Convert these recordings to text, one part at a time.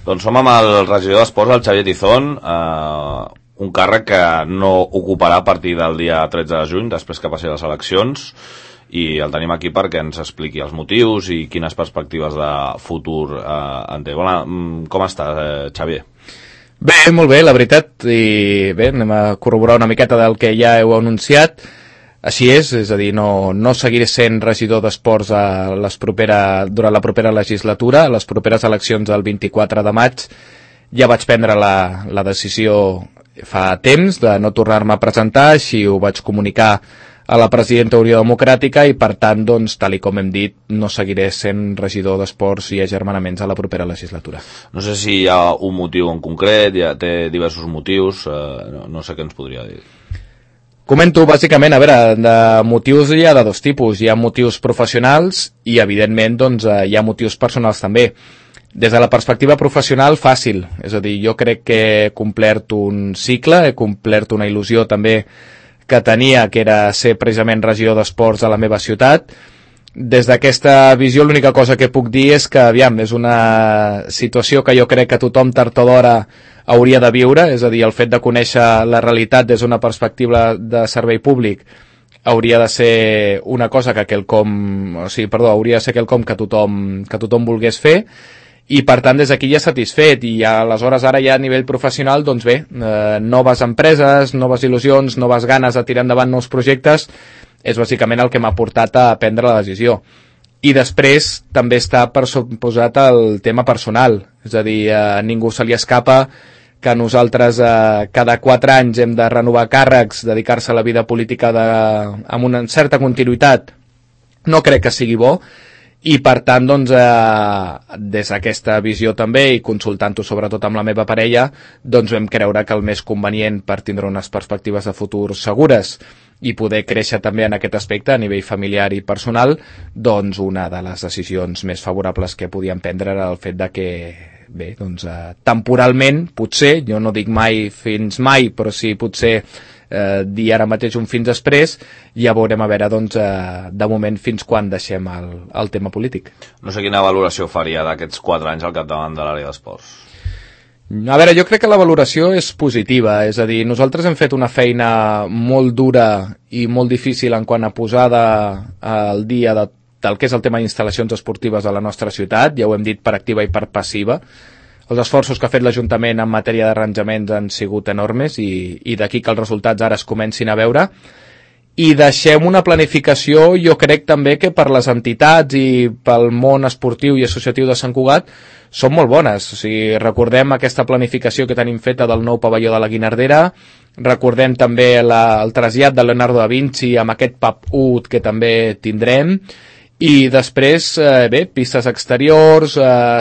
Doncs som amb el regidor d'Esports, el Xavier Tizón, un càrrec que no ocuparà a partir del dia 13 de juny, després que passi les eleccions, i el tenim aquí perquè ens expliqui els motius i quines perspectives de futur en té. Bona, com estàs, Xavier? Bé, molt bé, la veritat, i bé, anem a corroborar una miqueta del que ja heu anunciat. Així és a dir, no seguiré sent regidor d'esports durant la propera legislatura. A les properes eleccions del 24 de maig ja vaig prendre la decisió fa temps de no tornar-me a presentar, així ho vaig comunicar a la presidenta Unió Democràtica i, per tant, doncs, tal com hem dit, no seguiré sent regidor d'esports i agermanaments a la propera legislatura. No sé si hi ha un motiu en concret, ja té diversos motius, no sé què ens podria dir. Comento, bàsicament, a veure, de motius hi ha de dos tipus. Hi ha motius professionals i, evidentment, doncs, hi ha motius personals també. Des de la perspectiva professional, fàcil. És a dir, jo crec que he complert un cicle, he complert una il·lusió també que tenia, que era ser precisament regidor d'esports a la meva ciutat. Des d'aquesta visió, l'única cosa que puc dir és que, aviam, és una situació que jo crec que tothom tard o d'hora hauria de viure, és a dir, el fet de conèixer la realitat des d'una perspectiva de servei públic hauria de ser una cosa que hauria de ser quelcom que tothom volgués fer, i per tant des d'aquí ja satisfet, i aleshores ara ja a nivell professional, doncs bé, noves empreses, noves il·lusions, noves ganes de tirar endavant nous projectes, és bàsicament el que m'ha portat a prendre la decisió. I després també està per suposat el tema personal, és a dir, a ningú se li escapa que nosaltres cada 4 anys hem de renovar càrrecs, dedicar-se a la vida política amb una certa continuïtat, no crec que sigui bo, i per tant, doncs, des d'aquesta visió també, i consultant-ho sobretot amb la meva parella, doncs vam creure que el més convenient per tindre unes perspectives de futur segures i poder créixer també en aquest aspecte a nivell familiar i personal, doncs una de les decisions més favorables que podíem prendre era el fet de que, bé, doncs, temporalment, potser, jo no dic mai fins mai, però sí potser dir ara mateix un fins després, ja veurem a veure, doncs, de moment fins quan deixem el tema polític. No sé quina valoració faria d'aquests 4 anys al capdavant de l'àrea d'esports. A veure, jo crec que la valoració és positiva, és a dir, nosaltres hem fet una feina molt dura i molt difícil en quant a posada al dia del que és el tema d'instal·lacions esportives a la nostra ciutat, ja ho hem dit per activa i per passiva. Els esforços que ha fet l'Ajuntament en matèria d'arranjaments han sigut enormes i d'aquí que els resultats ara es comencin a veure. I deixem una planificació, jo crec també que per les entitats i pel món esportiu i associatiu de Sant Cugat són molt bones. O sigui, recordem aquesta planificació que tenim feta del nou pavelló de la Guinardera, recordem també el trasllat de Leonardo da Vinci amb aquest pub UT que també tindrem, i després, bé, pistes exteriors,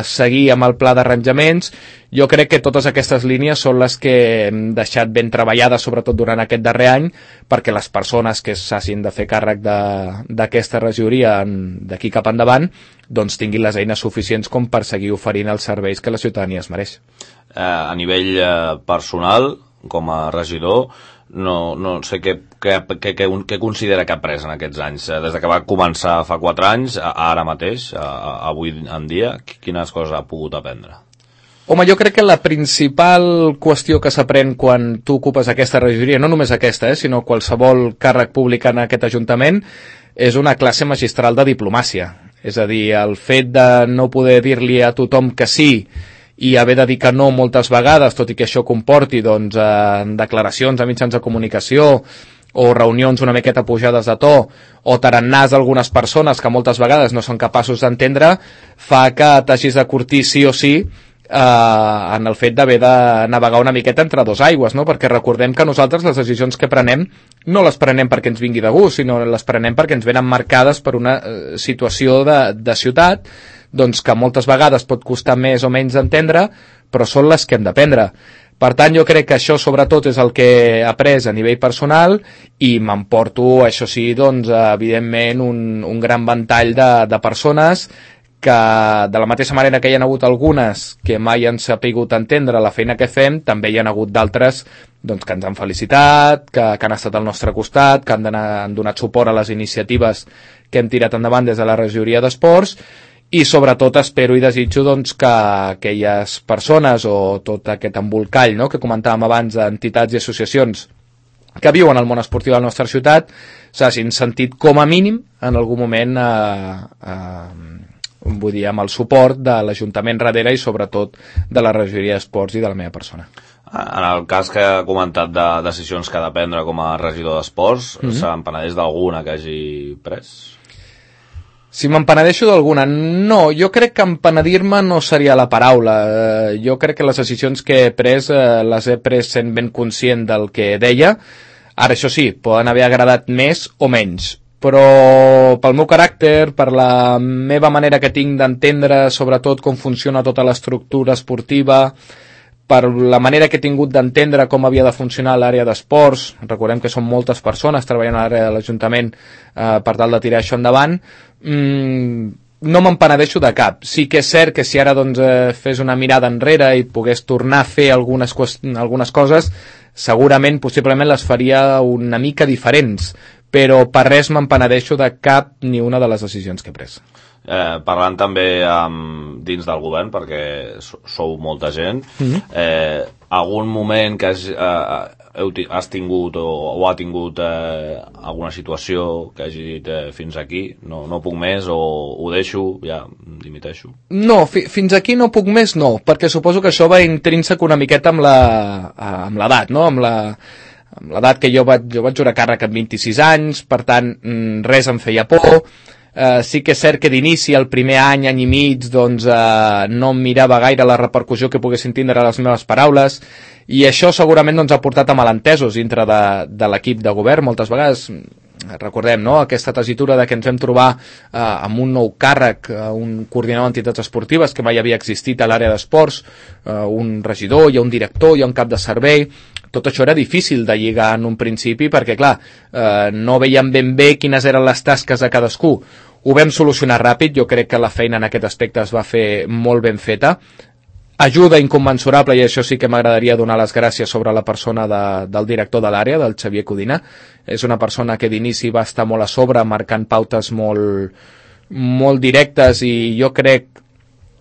seguir amb el pla d'arranjaments. Jo crec que totes aquestes línies són les que hem deixat ben treballades, sobretot durant aquest darrer any, perquè les persones que s'hagin de fer càrrec d'aquesta regidoria d'aquí cap endavant, doncs tinguin les eines suficients com per seguir oferint els serveis que la ciutadania es mereix. A nivell personal, com a regidor, no sé què considera que ha pres en aquests anys, des de que va començar fa 4 anys a ara mateix, avui en dia, quines coses ha pogut aprendre? Home, jo crec que la principal qüestió que s'aprèn quan tu ocupes aquesta regidoria, no només aquesta, sinó qualsevol càrrec públic en aquest Ajuntament, és una classe magistral de diplomàcia. És a dir, el fet de no poder dir-li a tothom que sí i haver de dir que no moltes vegades, tot i que això comporti, doncs, declaracions a mitjans de comunicació o reunions una miqueta pujades de to o tarannars d'algunes persones que moltes vegades no són capaços d'entendre, fa que t'hagis de curtir sí o sí en el fet d'haver de navegar una miqueta entre dos aigües, no? Perquè recordem que nosaltres les decisions que prenem no les prenem perquè ens vingui de gust, sinó les prenem perquè ens venen marcades per una situació de ciutat, doncs que moltes vegades pot costar més o menys d'entendre, però són les que hem d'aprendre. Per tant, jo crec que això sobretot és el que he après a nivell personal i m'emporto, això sí, doncs, evidentment, un gran ventall de persones que, de la mateixa manera que hi ha hagut algunes que mai han sapigut entendre la feina que fem, també hi ha hagut d'altres doncs, que ens han felicitat, que han estat al nostre costat, que han donat suport a les iniciatives que hem tirat endavant des de la regidoria d'esports, i sobretot espero i desitjo doncs, que aquelles persones o tot aquest embolcall, no?, que comentàvem abans d'entitats i associacions que viuen al món esportiu de la nostra ciutat s'hagin sentit com a mínim en algun moment vull dir, amb el suport de l'Ajuntament darrere i sobretot de la regidoria d'esports i de la meva persona. En el cas que ha comentat de decisions que ha de prendre com a regidor d'esports, se'n penedeix d'alguna que hagi pres? Si m'empenedeixo d'alguna? No, jo crec que empenedir-me no seria la paraula. Jo crec que les decisions que he pres les he pres sent ben conscient del que deia. Ara, això sí, poden haver agradat més o menys, però pel meu caràcter, per la meva manera que tinc d'entendre sobretot com funciona tota l'estructura esportiva, per la manera que he tingut d'entendre com havia de funcionar l'àrea d'esports, recordem que són moltes persones treballant a l'àrea de l'Ajuntament per tal de tirar això endavant, no m'empenedeixo de cap. Sí que és cert que si ara doncs, fes una mirada enrere i pogués tornar a fer algunes coses, segurament, possiblement les faria una mica diferents, però per res m'empenedeixo de cap ni una de les decisions que he pres. Parlant també dins del govern, perquè sou molta gent, algun moment que has tingut o ha tingut alguna situació que hagi dit fins aquí, no puc més, o ho deixo, ja dimiteixo? No, fins aquí no puc més, no, perquè suposo que això va intrínsec una miqueta amb l'edat, no? Amb l'edat que jo vaig jurar càrrec amb 26 anys, per tant, res em feia por. Sí que és cert que d'inici, el primer any i mig, doncs, no em mirava gaire la repercussió que poguessin tindre les meves paraules, i això segurament doncs, ha portat a malentesos dintre de l'equip de govern. Moltes vegades, recordem, no?, aquesta tessitura de que ens vam trobar amb un nou càrrec, un coordinador d'entitats esportives que mai havia existit a l'àrea d'esports, un regidor, hi ha un director, hi ha un cap de servei. Tot això era difícil de lligar en un principi perquè, clar, no veiem ben bé quines eren les tasques de cadascú. Ho vam solucionar ràpid, jo crec que la feina en aquest aspecte es va fer molt ben feta. Ajuda inconmensurable, i això sí que m'agradaria donar les gràcies sobre la persona del director de l'àrea, del Xavier Codina. És una persona que d'inici va estar molt a sobre, marcant pautes molt directes, i jo crec,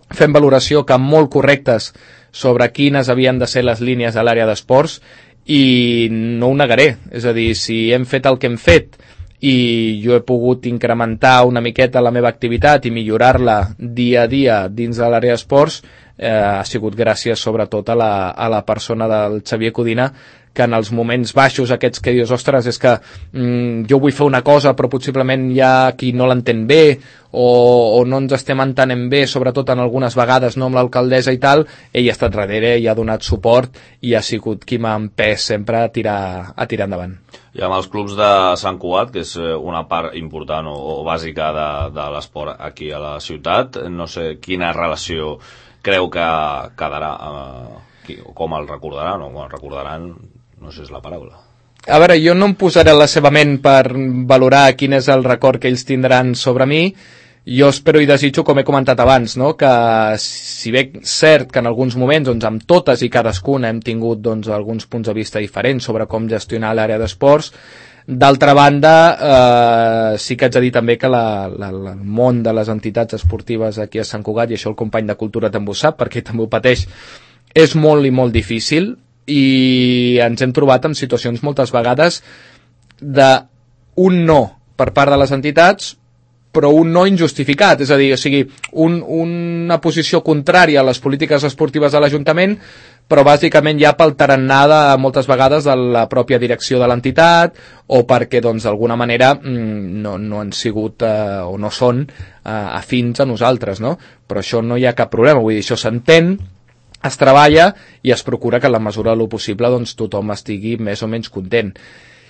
fent valoració que molt correctes sobre quines havien de ser les línies a l'àrea d'esports, i no ho negaré. És a dir, si hem fet el que hem fet i jo he pogut incrementar una miqueta la meva activitat i millorar-la dia a dia dins de l'àrea d'esports, ha sigut gràcies sobretot a la persona del Xavier Codina, que en els moments baixos aquests que dius, ostres, és que jo vull fer una cosa però possiblement hi ha qui no l'entén bé, o no ens estem entenent bé, sobretot en algunes vegades, no, amb l'alcaldessa i tal, ell ha estat darrere i ha donat suport i ha sigut qui m'ha empès sempre a tirar endavant. I amb els clubs de Sant Cugat, que és una part important o bàsica de l'esport aquí a la ciutat, no sé quina relació creu que quedarà, com el recordaran, o el recordaran, no sé si és la paraula. A veure, jo no em posaré a la seva ment per valorar quin és el record que ells tindran sobre mi. Jo espero i desitjo, com he comentat abans, no?, que si bé cert que en alguns moments, doncs, amb totes i cadascuna hem tingut doncs, alguns punts de vista diferents sobre com gestionar l'àrea d'esports, d'altra banda, sí que haig de dir també que el món de les entitats esportives aquí a Sant Cugat, i això el company de Cultura també ho sap, perquè també ho pateix, és molt i molt difícil, i ens hem trobat en situacions moltes vegades d'un no per part de les entitats, però un no injustificat, és a dir, o sigui, una posició contrària a les polítiques esportives de l'Ajuntament, però bàsicament ja pel tarannà moltes vegades de la pròpia direcció de l'entitat, o perquè doncs d'alguna manera no han sigut o no són afins a nosaltres, no? Però això no hi ha cap problema, vull dir, això s'entén, es treballa i es procura que en la mesura del possible doncs, tothom estigui més o menys content.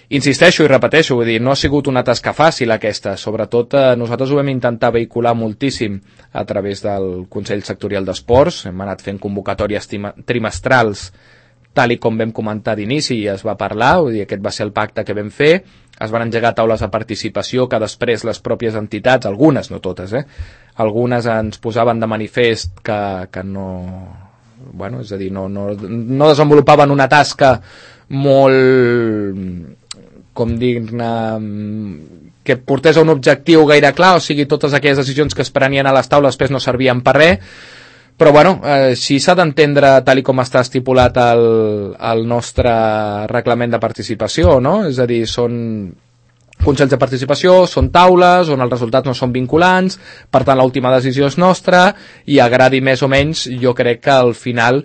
Insisteixo i repeteixo, vull dir, no ha sigut una tasca fàcil aquesta, sobretot nosaltres ho vam intentar vehicular moltíssim a través del Consell Sectorial d'Esports, hem anat fent convocatòries trimestrals tal i com vam comentar d'inici i es va parlar, vull dir, aquest va ser el pacte que vam fer, es van engegar taules de participació que després les pròpies entitats, algunes, no totes, algunes ens posaven de manifest que no... Bueno, és a dir, no desenvolupaven una tasca molt, com dir-ne, que portés a un objectiu gaire clar, o sigui, totes aquelles decisions que es prenien a les taules després no servien per res, però bueno, si s'ha d'entendre tal com està estipulat el nostre reglament de participació, no? És a dir, són consells de participació, són taules on els resultats no són vinculants, per tant l'última decisió és nostra, i agradi més o menys, jo crec que al final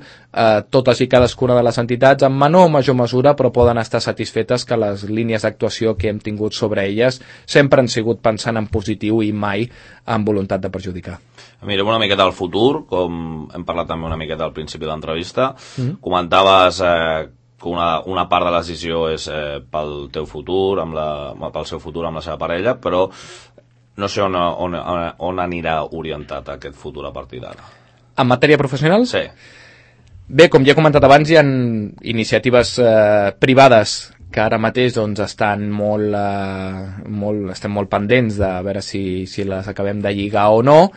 totes i cadascuna de les entitats en menor o major mesura però poden estar satisfetes que les línies d'actuació que hem tingut sobre elles sempre han sigut pensant en positiu i mai amb voluntat de perjudicar. Mirem una miqueta al futur, com hem parlat també una miqueta al principi de l'entrevista. Comentaves que una part de la decisió és pel teu futur, pel seu futur amb la seva parella, però no sé on anirà orientat aquest futur a partir d'ara. En matèria professional? Sí. Bé, com ja he comentat abans, hi ha iniciatives privades que ara mateix doncs, estem molt pendents de veure si les acabem de lligar o no.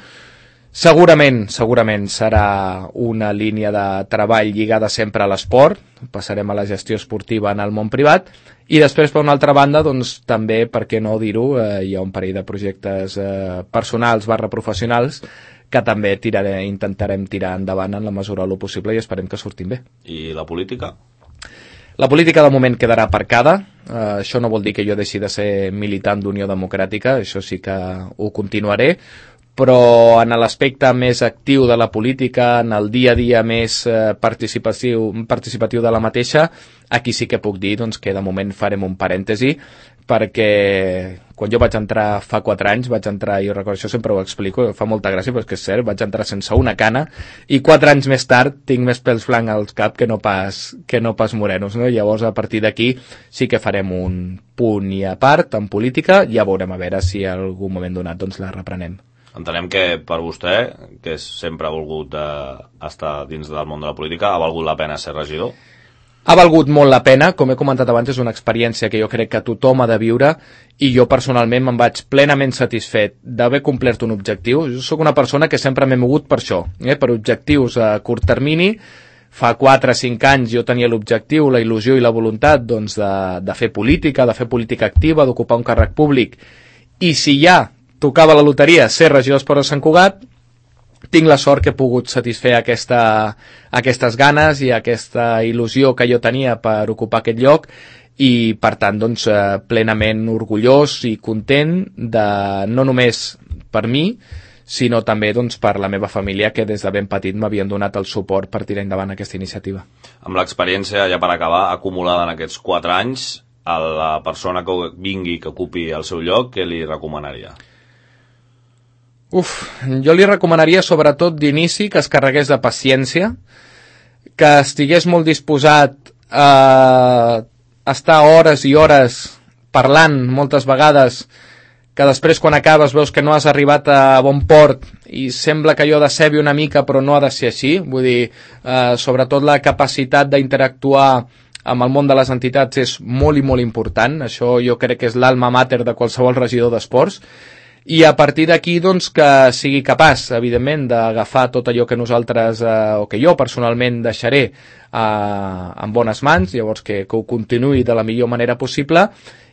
Segurament serà una línia de treball lligada sempre a l'esport, passarem a la gestió esportiva en el món privat, i després, per una altra banda, doncs, també, per què no dir-ho, hi ha un parell de projectes personals / professionals que també intentarem tirar endavant en la mesura del possible i esperem que surtin bé. I la política? La política de moment quedarà aparcada. Això no vol dir que jo deixi de ser militant d'Unió Democràtica, això sí que ho continuaré, però en l'aspecte més actiu de la política, en el dia a dia més participatiu de la mateixa, aquí sí que puc dir doncs, que de moment farem un parèntesi, perquè quan jo vaig entrar fa 4 anys, jo recordo, això sempre ho explico, fa molta gràcia, però és que és cert, vaig entrar sense una cana, i 4 anys més tard tinc més pèls blancs al cap que no pas morenos, no? Llavors, a partir d'aquí sí que farem un punt i a part en política, ja veurem a veure si en algun moment donat doncs, la reprenem. Entenem que per vostè, que sempre ha volgut estar dins del món de la política, ha valgut la pena ser regidor? Ha valgut molt la pena, com he comentat abans, és una experiència que jo crec que tothom ha de viure, i jo personalment me'n vaig plenament satisfet d'haver complert un objectiu. Jo sóc una persona que sempre m'he mogut per això, per objectius a curt termini. Fa 4 o 5 anys jo tenia l'objectiu, la il·lusió i la voluntat doncs, de fer política activa, d'ocupar un càrrec públic, i si ja tocava la loteria ser regidor d'Esports de Sant Cugat, tinc la sort que he pogut satisfer aquestes ganes i aquesta il·lusió que jo tenia per ocupar aquest lloc, i per tant doncs, plenament orgullós i content de, no només per mi, sinó també doncs, per la meva família, que des de ben petit m'havien donat el suport per tirar endavant aquesta iniciativa. Amb l'experiència, ja per acabar, acumulada en aquests 4 anys, a la persona que vingui, que ocupi el seu lloc, què li recomanaria? Jo li recomanaria sobretot d'inici que es carregués de paciència, que estigués molt disposat a estar hores i hores parlant moltes vegades, que després quan acabes veus que no has arribat a bon port i sembla que allò decebi una mica, però no ha de ser així. Vull dir, sobretot la capacitat d'interactuar amb el món de les entitats és molt i molt important. Això jo crec que és l'alma mater de qualsevol regidor d'esports. I a partir d'aquí doncs, que sigui capaç, evidentment, d'agafar tot allò que nosaltres, o que jo personalment deixaré en bones mans, llavors que ho continuï de la millor manera possible,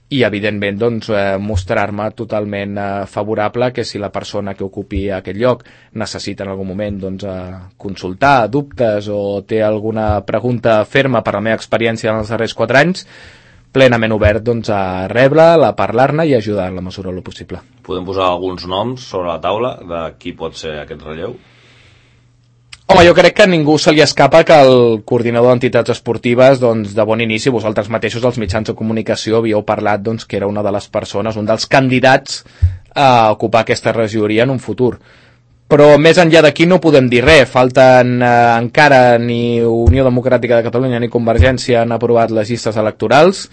i evidentment doncs, mostrar-me totalment favorable que si la persona que ocupi aquest lloc necessita en algun moment doncs, consultar dubtes o té alguna pregunta ferma per la meva experiència en els darrers 4 anys, plenament obert doncs, a rebre-la, a parlar-ne i a ajudar en la mesura del possible. Podem posar alguns noms sobre la taula de qui pot ser aquest relleu? Home, jo crec que a ningú se li escapa que el coordinador d'entitats esportives, doncs, de bon inici, vosaltres mateixos, els mitjans de comunicació, havíeu parlat doncs, que era una de les persones, un dels candidats a ocupar aquesta regidoria en un futur. Però més enllà d'aquí no podem dir res. Falten encara ni Unió Democràtica de Catalunya ni Convergència han aprovat les llistes electorals.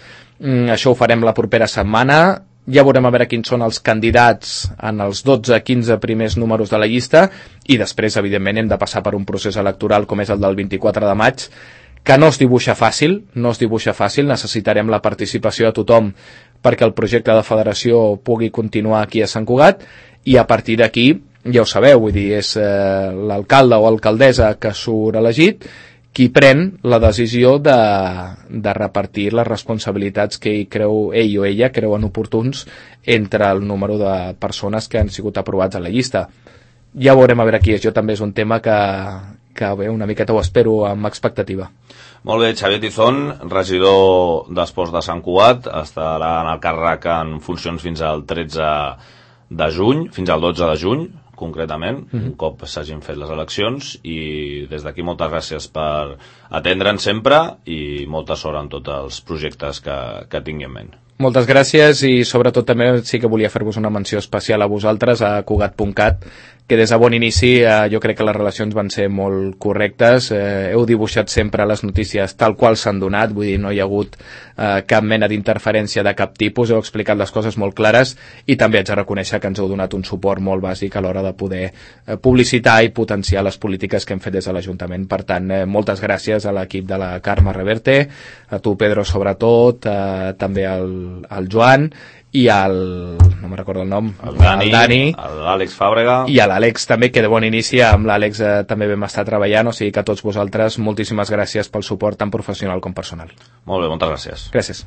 Això ho farem la propera setmana. Ja veurem a veure quins són els candidats en els 12-15 primers números de la llista, i després, evidentment, hem de passar per un procés electoral com és el del 24 de maig, que no es dibuixa fàcil, necessitarem la participació de tothom perquè el projecte de federació pugui continuar aquí a Sant Cugat, i a partir d'aquí, ja ho sabeu, vull dir, és l'alcalde o alcaldessa que surt elegit qui pren la decisió de repartir les responsabilitats que ell o ella creuen oportuns entre el número de persones que han sigut aprovats a la llista. Ja veurem a veure qui és. Jo també és un tema que bé, una miqueta ho espero amb expectativa. Molt bé, Xavier Tizón, regidor d'Esports de Sant Cugat, estarà en el càrrec en funcions fins al 13 de juny, fins al 12 de juny, concretament, un cop s'hagin fet les eleccions, i des d'aquí moltes gràcies per atendre'ns sempre i molta sort en tots els projectes que tingui en ment. Moltes gràcies i sobretot també sí que volia fer-vos una menció especial a vosaltres, a Cugat.cat, que des de bon inici jo crec que les relacions van ser molt correctes, heu dibuixat sempre les notícies tal qual s'han donat, vull dir, no hi ha hagut cap mena d'interferència de cap tipus, heu explicat les coses molt clares i també haig de reconèixer que ens heu donat un suport molt bàsic a l'hora de poder publicitar i potenciar les polítiques que hem fet des de l'Ajuntament. Per tant, moltes gràcies a l'equip de la Carme Reverte, a tu, Pedro, sobretot, també al Joan i no me'n recordo el nom, el Dani, l'Àlex Fàbrega i a l'Àlex també, que de bon inici amb l'Àlex també vam estar treballant, o sigui que a tots vosaltres moltíssimes gràcies pel suport tant professional com personal. Molt bé, moltes gràcies. Gràcies.